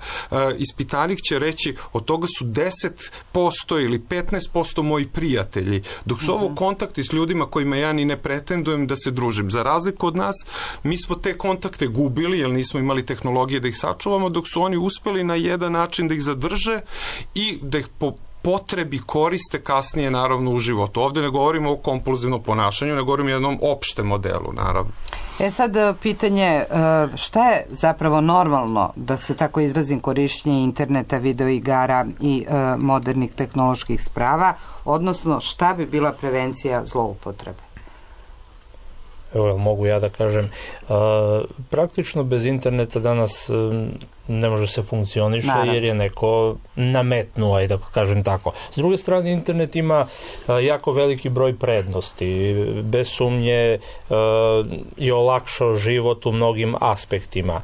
ispitanik će reći od toga su 10% ili 15% moji prijatelji, dok su ovo kontakti s ljudima kojima ja ni ne pretendujem da se družim. Za razliku od nas, mi smo te kontakte gubili, jer nismo imali tehnologije da ih sačuvamo, dok su oni uspeli na jedan način da ih zadrže i da ih po potrebi koriste kasnije, naravno, u životu. Ovde ne govorimo o kompulzivnom ponašanju, ne govorimo o jednom opštem modelu, naravno. Sad pitanje, šta je zapravo normalno, da se tako izrazim, korišćenje interneta, video igara i modernih tehnoloških sprava, odnosno šta bi bila prevencija zloupotrebe? evo mogu ja da kažem, praktično bez interneta danas ne može se funkcioniše, naravno, jer je neko nametnuo, i da kažem tako. S druge strane, internet ima jako veliki broj prednosti. Bez sumnje je olakšao život u mnogim aspektima.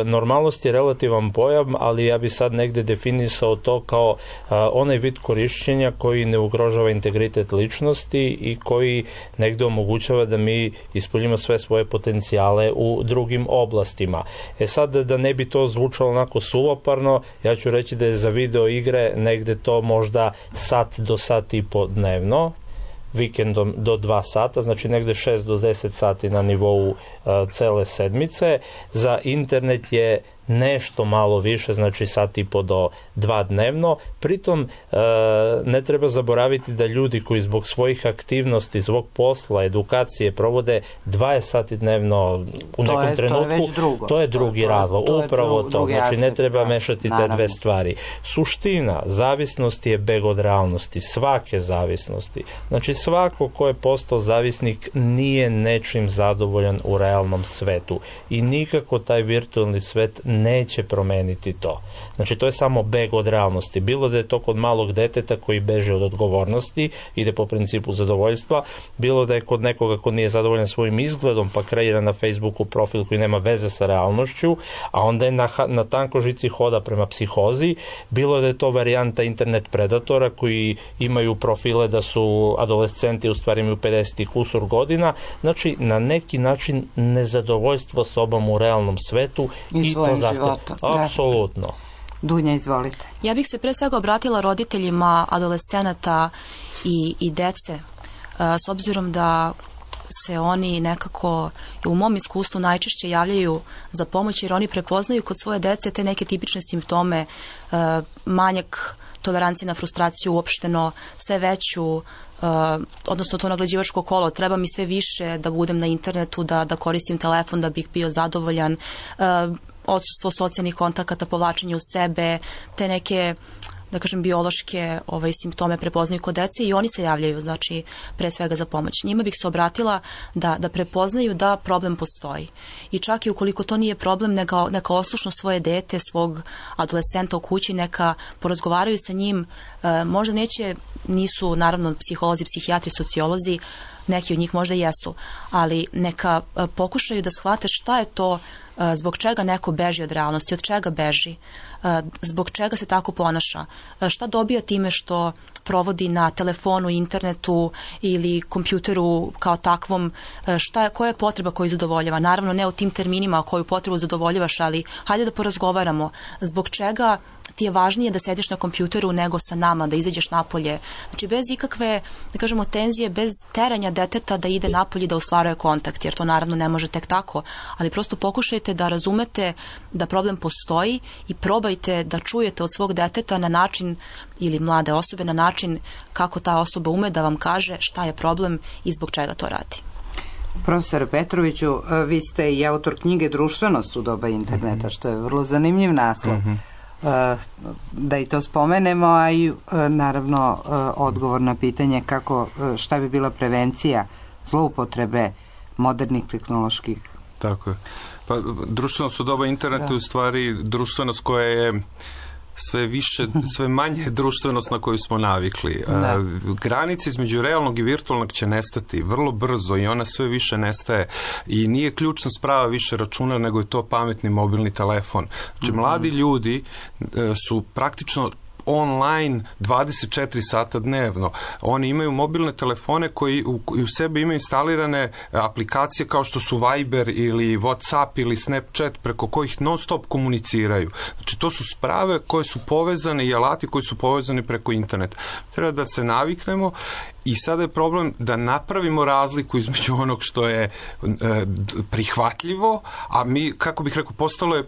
Normalnost je relativan pojam, ali ja bi sad negde definisao to kao onaj vid korišćenja koji ne ugrožava integritet ličnosti i koji negde omogućava da mi ispoljimo sve svoje potencijale u drugim oblastima. Sad, da ne bi to zvučalo onako suvoparno, ja ću reći da je za video igre negde to možda sat do sat i po dnevno, vikendom do 2 sata, znači negde 6 do 10 sati na nivou cele sedmice. Za internet je nešto malo više, znači sat i po do 2 dnevno. Pritom ne treba zaboraviti da ljudi koji zbog svojih aktivnosti, zbog posla, edukacije provode 20 sati dnevno u nekom trenutku, to je drugi razlog. Upravo to, znači ne treba mešati te dve stvari. Suština zavisnosti je beg od realnosti, svake zavisnosti. Znači svako ko je postao zavisnik nije nečim zadovoljan u realnom svetu i nikako taj virtualni svet neće promeniti to. Znači to je samo beg od realnosti. Bilo da je to kod malog deteta koji beže od odgovornosti, ide po principu zadovoljstva, bilo da je kod nekoga ko nije zadovoljan svojim izgledom pa kreira na Facebooku profil koji nema veze sa realnošću, a onda je na tanko žici hoda prema psihozi, bilo da je to varijanta internet predatora koji imaju profile da su adolescenti, u stvari imaju 50 i kusur godina. Znači na neki način nezadovoljstvo sobom u realnom svetu i to zato. Apsolutno. Dunja, izvolite. Ja bih se pre svega obratila roditeljima adolescenata i dece, s obzirom da se oni nekako u mom iskustvu najčešće javljaju za pomoć, jer oni prepoznaju kod svoje dece te neke tipične simptome, manjak tolerancije na frustraciju, uopšteno sve veću, odnosno to nagrađivačko kolo, treba mi sve više da budem na internetu, da koristim telefon da bih bio zadovoljan, odsustvo socijalnih kontakata, povlačenje u sebe, te neke, da kažem, biološke simptome prepoznaju kod dece i oni se javljaju, znači, pre svega za pomoć. Njima bih se obratila da prepoznaju da problem postoji. I čak i ukoliko to nije problem, neka oslušno svoje dete, svog adolescenta u kući, neka porazgovaraju sa njim, možda nisu naravno psiholozi, psihijatri, sociolozi, neki od njih možda jesu, ali neka pokušaju da shvate šta je to, zbog čega neko beži od realnosti, od čega beži, zbog čega se tako ponaša, šta dobija time što provodi na telefonu, internetu ili kompjuteru kao takvom, koja je potreba koju zadovoljava. Naravno ne u tim terminima koju potrebu zadovoljavaš, ali hajde da porazgovaramo zbog čega ti je važnije da sediš na kompjuteru nego sa nama, da izađeš napolje. Znači bez ikakve, da kažemo, tenzije, bez teranja deteta da ide napolje, da ostvaruje kontakt, jer to naravno ne može tek tako, ali prosto pokušajte da razumete da problem postoji i probajte da čujete od svog deteta na način, ili mlade osobe, na način kako ta osoba ume da vam kaže šta je problem i zbog čega to radi. Profesor Petroviću, vi ste i autor knjige Društvenost u doba interneta, što je vrlo zanimljiv naslov. Da i to spomenemo, a i naravno odgovor na pitanje šta bi bila prevencija zloupotrebe modernih tehnoloških. Tako je. Pa društvenost u doba interneta je u stvari društvenost koja je sve manje društvenost na koju smo navikli. Granice između realnog i virtualnog će nestati vrlo brzo i ona sve više nestaje i nije ključna sprava više računar, nego je to pametni mobilni telefon. Znači, mladi ljudi su praktično online 24 sata dnevno. Oni imaju mobilne telefone koji u sebi imaju instalirane aplikacije kao što su Viber ili WhatsApp ili Snapchat, preko kojih non stop komuniciraju. Znači to su sprave koje su povezane i alati koji su povezani preko interneta. Treba da se naviknemo i sada je problem da napravimo razliku između onog što je prihvatljivo, a mi, kako bih rekao, postalo je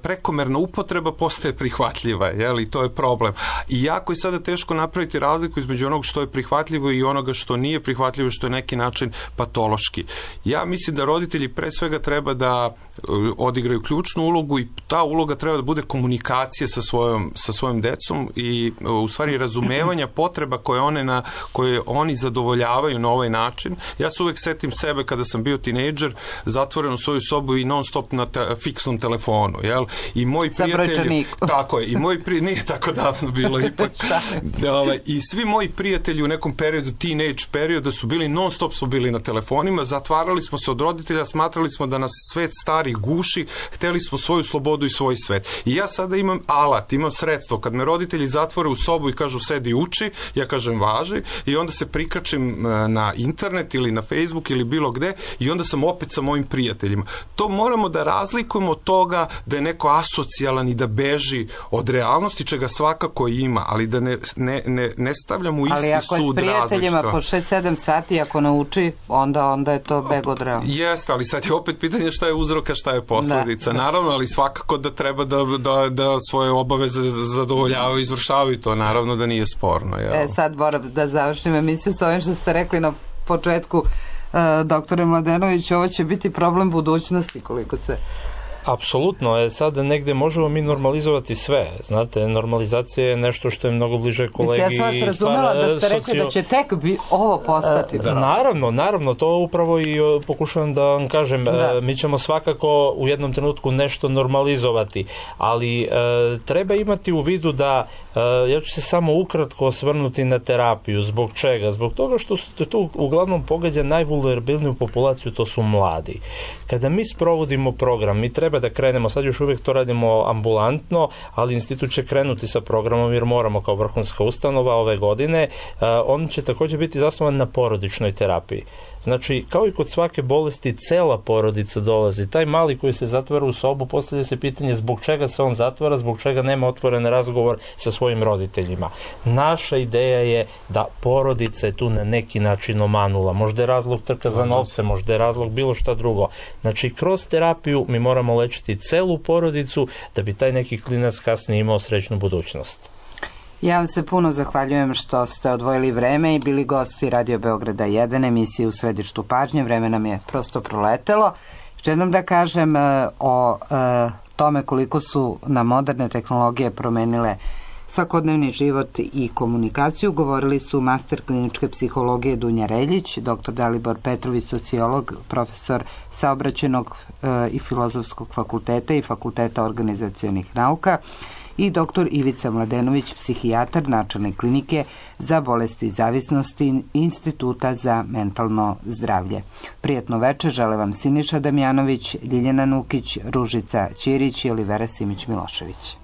prekomerna upotreba postaje prihvatljiva, i to je problem. I jako je sada teško napraviti razliku između onog što je prihvatljivo i onoga što nije prihvatljivo, što je neki način patološki. Ja mislim da roditelji pre svega treba da odigraju ključnu ulogu i ta uloga treba da bude komunikacija sa svojom decom i u stvari razumevanja potreba koje one na koje oni zadovoljavaju na ovaj način. Ja se uvek setim sebe kada sam bio tinejdžer, zatvoren u svoju sobu i non stop na fiksnom telefonu, jel? I moj prijatelji, tako je, i moj nije tako davno bilo ipak. I svi moji prijatelji u nekom periodu, teenage perioda, su bili non stop smo bili na telefonima, zatvarali smo se od roditelja, smatrali smo da nas svet stari guši, hteli smo svoju slobodu i svoj svet. I ja sada imam alat, imam sredstvo, kad me roditelji zatvore u sobu i kažu sedi uči, ja kažem važi, i onda se prikačim na internet ili na Facebook ili bilo gde i onda sam opet sa mojim prijateljima. To moramo da razlikujemo od toga da je neko asocijalan i da beži od realnosti, čega svakako ima, ali da ne stavljamo u isti sud različito. Ali ako je s prijateljima po 6-7 sati, ako nauči, onda je to beg od realnosti. Jeste, ali sad je opet pitanje šta je uzroka, šta je posledica. Naravno, ali svakako da treba da svoje obaveze zadovoljavaju i izvršavaju to. Naravno da nije sporno. Sad moram da završim emisiju s ovim što ste rekli na početku, doktore Mladenović, ovo će biti problem budućnosti koliko se... Apsolutno, sad negde možemo mi normalizovati sve, znate, normalizacija je nešto što je mnogo bliže kolegi. Ja sam vas razumela da ste rekli da će tek ovo postati. Naravno, to upravo i pokušavam da vam kažem, mi ćemo svakako u jednom trenutku nešto normalizovati, ali treba imati u vidu da, ja ću se samo ukratko osvrnuti na terapiju. Zbog čega? Zbog toga što tu uglavnom pogađa najvulnerabilniju populaciju, to su mladi. Kada mi sprovodimo program, mi treba da krenemo, sad još uvijek to radimo ambulantno, ali institut će krenuti sa programom jer moramo kao vrhunska ustanova ove godine. On će također biti zasnovan na porodičnoj terapiji. Znači, kao i kod svake bolesti, cela porodica dolazi. Taj mali koji se zatvara u sobu, postavlja se pitanje zbog čega se on zatvara, zbog čega nema otvoren razgovor sa svojim roditeljima. Naša ideja je da porodica je tu na neki način omanula. Možda je razlog trka za novce, možda je razlog bilo šta drugo. Znači, kroz terapiju mi moramo lečiti celu porodicu da bi taj neki klinac kasnije imao srećnu budućnost. Ja vam se puno zahvaljujem što ste odvojili vreme i bili gosti Radio Beograda 1, emisije U središtu pažnje. Vreme nam je prosto proletelo. Želim da kažem o tome koliko su nam moderne tehnologije promenile svakodnevni život i komunikaciju. Govorili su master kliničke psihologije Dunja Reljić, dr. Dalibor Petrović, sociolog, profesor Saobraćajnog i Filozofskog fakulteta i Fakulteta organizacionih nauka, i dr. Ivica Mladenović, psihijatar načelne klinike za bolesti i zavisnosti Instituta za mentalno zdravlje. Prijatno večer žele vam Siniša Damjanović, Ljiljana Nukić, Ružica Ćirić i Olivera Simić Milošević.